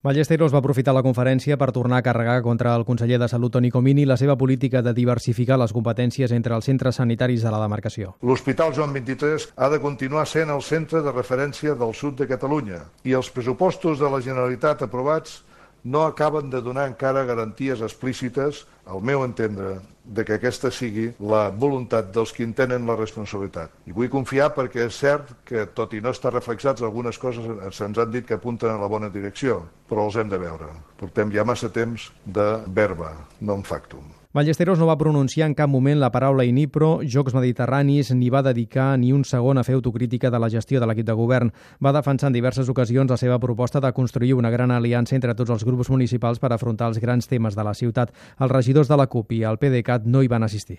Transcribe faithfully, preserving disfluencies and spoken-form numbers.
Ballesteros va aprofitar la conferència per tornar a carregar contra el conseller de Salut, Toni Comín, i la seva política de diversificar les competències entre els centres sanitaris de la demarcació. L'Hospital Joan vint-i-tres ha de continuar sent el centre de referència del sud de Catalunya i els pressupostos de la Generalitat aprovats no acaben de donar encara garanties explícites, al meu entendre, de que aquesta sigui la voluntat dels qui en tenen la responsabilitat. I vull confiar perquè és cert que, tot i no estar reflexats, algunes coses se'ns han dit que apunten a la bona direcció, però els hem de veure. Portem ja massa temps de verba, no en factum. Ballesteros no va pronunciar en cap moment la paraula Inipro, Jocs Mediterranis, ni va dedicar ni un segon a fer autocrítica de la gestió de l'equip de govern. Va defensar en diverses ocasions la seva proposta de construir una gran aliança entre tots els grups municipals per afrontar els grans temes de la ciutat. Els regidors de la CUP i el PDeCAT no hi van assistir.